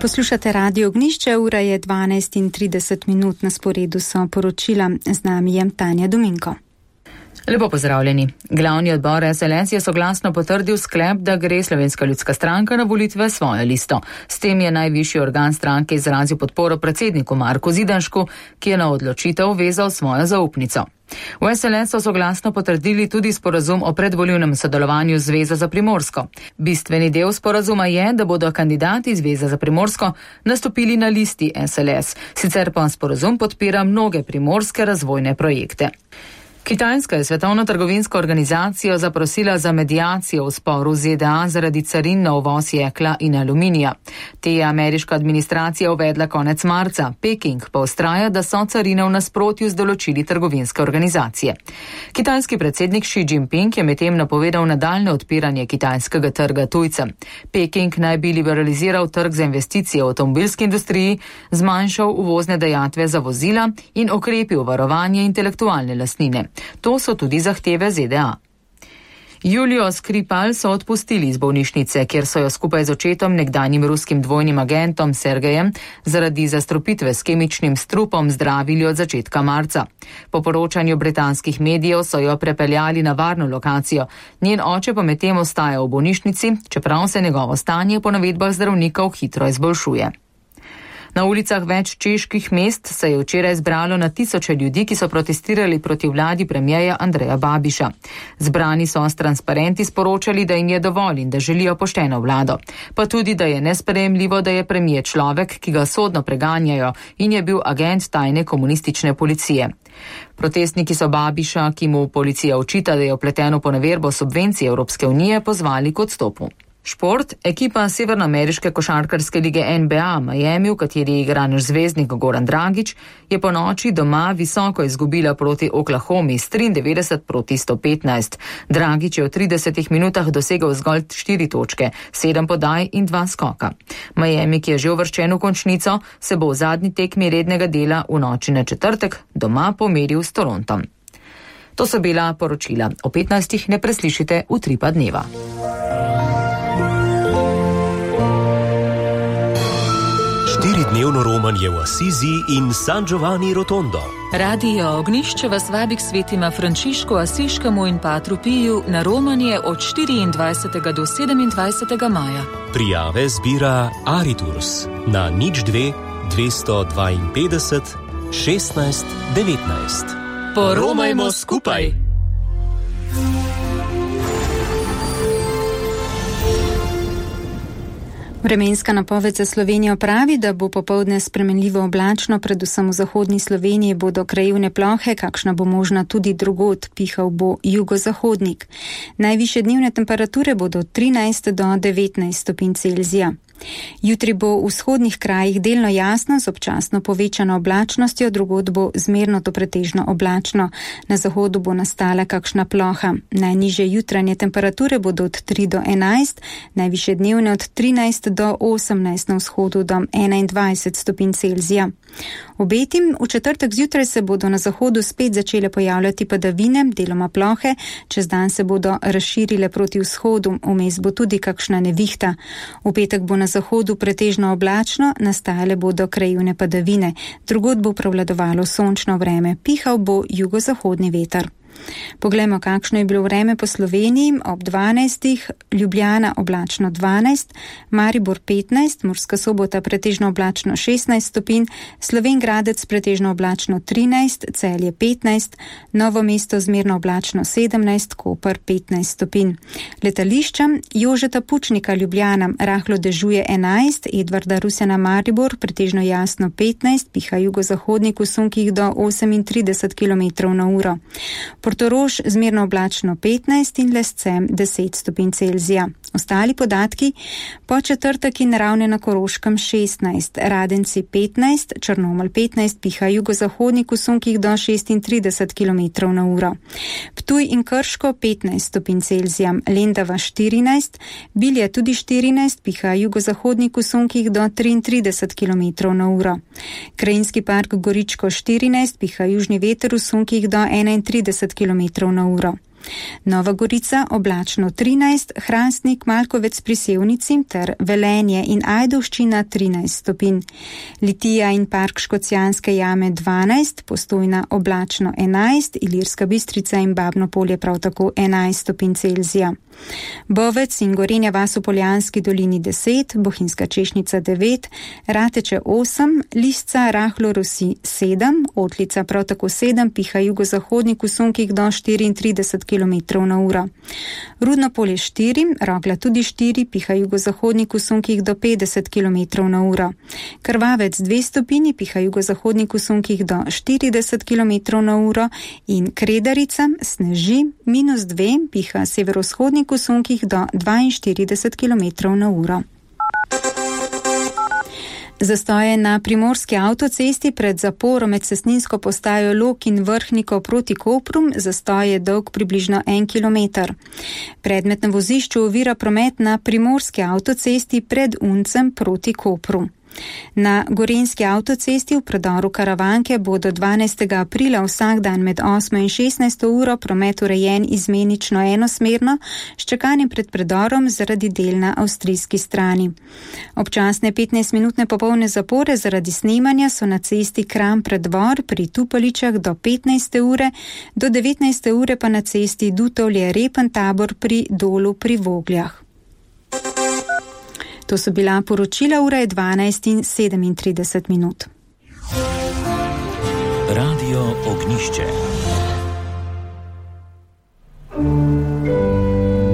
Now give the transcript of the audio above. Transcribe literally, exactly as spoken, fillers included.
Poslušate Radio Ognjišče, ura je dvanajst in trideset minut, na sporedu so poročila, z nami je Tanja Dominko. Lepo pozdravljeni. Glavni odbor S L S je soglasno potrdil sklep, da gre Slovenska ljudska stranka na volitve svojo listo. S tem je najvišji organ stranke izrazil podporo predsedniku Marku Zidanšku, ki je na odločitev vezal svojo zaupnico. V S L S so soglasno potrdili tudi sporazum o predvolilnem sodelovanju z Zvezo za Primorsko. Bistveni del sporazuma je, da bodo kandidati Zveze za Primorsko nastopili na listi S L S, sicer pa sporazum podpira mnoge primorske razvojne projekte. Kitajska je Svetovno trgovinsko organizacijo zaprosila za mediacijo v sporu z Z D A zaradi carin na uvoz jekla in aluminija. Te je ameriška administracija uvedla konec marca. Peking pa vztraja, da so carine v nasprotju z določili trgovinske organizacije. Kitajski predsednik Xi Jinping je medtem napovedal nadaljne odpiranje kitajskega trga tujcem. Peking naj bi liberaliziral trg za investicije v avtomobilski industriji, zmanjšal uvozne dajatve za vozila in okrepil varovanje intelektualne lastnine. To so tudi zahteve Z D A. Julijo Skripal so odpustili iz bolnišnice, kjer so jo skupaj z očetom, nekdanjim ruskim dvojnim agentom Sergejem, zaradi zastrupitve s kemičnim strupom zdravili od začetka marca. Po poročanju britanskih medijev so jo prepeljali na varno lokacijo. Njen oče pa medtem ostaja v bolnišnici, čeprav se njegovo stanje po navedbah zdravnikov hitro izboljšuje. Na ulicah več čeških mest se je včeraj zbralo na tisoče ljudi, ki so protestirali proti vladi premierja Andreja Babiša. Zbrani so s transparenti sporočali, da jim je dovolj in da želijo pošteno vlado. Pa tudi, da je nesprejemljivo, da je premijer človek, ki ga sodno preganjajo in je bil agent tajne komunistične policije. Protestniki so Babiša, ki mu policija očita, da je vpleten v poneverbo subvencij Evropske unije, pozvali k odstopu. Šport. Ekipa severnoameriške košarkarske lige N B A Miami, v kateri igra naš zvezdnik Goran Dragić, je po noči doma visoko izgubila proti Oklahomi s triindevetdeset proti sto petnajst. Dragić je v tridesetih minutah dosegel zgolj štiri točke, sedem podaj in dva skoka. Miami, ki je že uvrščen v končnico, se bo v zadnji tekmi rednega dela v noči na četrtek doma pomeril s Torontom. To so bila poročila. O petnajstih ne preslišite Utripa dneva. Štiridnevno romanje v Asizi in San Giovanni Rotondo. Radio Ognjišče vas vabi k svetima Frančišku Asiškemu in Patru Piju na romanje od štiriindvajsetega do sedemindvajsetega maja. Prijave zbira Ariturs na nič dve dvesto dvainpetdeset šestnajst devetnajst. Poromajmo skupaj! Vremenska napoved za Slovenijo pravi, da bo popoldne spremenljivo oblačno, predvsem v zahodni Sloveniji bodo krajevne plohe, kakšna bo možna tudi drugod, pihal bo jugozahodnik. Najvišje dnevne temperature bodo od trinajst do devetnajst stopinj Celzija. Jutri bo v vzhodnih krajih delno jasno z občasno povečano oblačnostjo, drugod bo zmerno do pretežno oblačno. Na zahodu bo nastala kakšna ploha. Najnižje jutranje temperature bodo od tri do enajst, najvišje dnevne od trinajst do osemnajst, na vzhodu do enaindvajset stopinj Celzija. Obetim, v četrtek zjutraj se bodo na zahodu spet začele pojavljati padavine, deloma plohe, čez dan se bodo razširile proti vzhodu, vmes bo tudi kakšna nevihta. V petek bo na zahodu pretežno oblačno, nastajale bodo krajevne padavine, drugod bo prevladovalo sončno vreme, pihal bo jugozahodni veter. Poglejmo, kakšno je bilo vreme po Sloveniji. Ob dvanajstih Ljubljana oblačno dvanajst, Maribor petnajst, Murska Sobota pretežno oblačno šestnajst stopinj, Slovenj Gradec pretežno oblačno trinajst, Celje petnajst, Novo mesto zmerno oblačno sedemnajst, Koper petnajst stopinj. Letališča Jožeta Pučnika Ljubljana rahlo dežuje enajst, Edvarda Rusjana Maribor pretežno jasno petnajst, piha jugozahodnik v sunkih do osemintrideset kilometrov na uro. Portorož zmerno oblačno petnajst in Lescem deset stopinj Celzija. Ostali podatki: po četrtek in Ravne na Koroškem šestnajst, Radenci petnajst, Črnomelj petnajst, piha jugozahodnik v sunkih do šestintrideset kilometrov na uro. Ptuj in Krško petnajst stopinj Celzija, Lendava štirinajst, Bilje tudi štirinajst, piha jugozahodnik v sunkih do triintrideset kilometrov na uro. Krajinski park Goričko štirinajst, piha južni veter v sunkih do enaintrideset kilometrov na uro. Nova Gorica oblačno trinajst, Hrastnik, Malkovec pri Sevnici ter Velenje in Ajdovščina trinajst stopinj. Litija in Park Škocjanske jame dvanajst, Postojna oblačno enajst, Ilirska Bistrica in Babno Polje prav tako enajst stopinj Celzija. Bovec in Gorenja vas v Poljanski dolini deset, Bohinjska Češnica devet, Rateče osem, Lisca rahlo rosi sedem, Otlica prav tako sedem, piha jugozahodnik v sunkih do štiriintrideset kilometrov na uro. Rudno Polje štiri, Rogla tudi štiri, piha jugozahodnik v sunkih do petdeset kilometrov na uro. Krvavec dve stopinji, piha jugozahodnik v sunkih do štirideset kilometrov na uro in Kredarica sneži minus dve, piha severovzhodnik v sunkih do dvainštirideset kilometrov na uro. Zastoje na primorski avtocesti pred zaporo med cestninsko postajo Log in Vrhniko proti Kopru, zastoj je dolg približno en kilometer. Predmet na vozišču ovira promet na primorski avtocesti pred Uncem proti Kopru. Na gorenjski avtocesti v predoru Karavanke bo do dvanajstega aprila vsak dan med osmo in šestnajsto uro promet urejen izmenično enosmerno, s čakanjem pred predorom zaradi del na avstrijski strani. Občasne petnajstminutne popolne zapore zaradi snemanja so na cesti Kram Preddvor pri Tupaličah do petnajste ure, do devetnajste ure pa na cesti Dutovlje Repen Tabor pri Dolu pri Vogljah. To so bila poročila, ura je dvanajst in sedemintrideset minut. Radio Ognišče.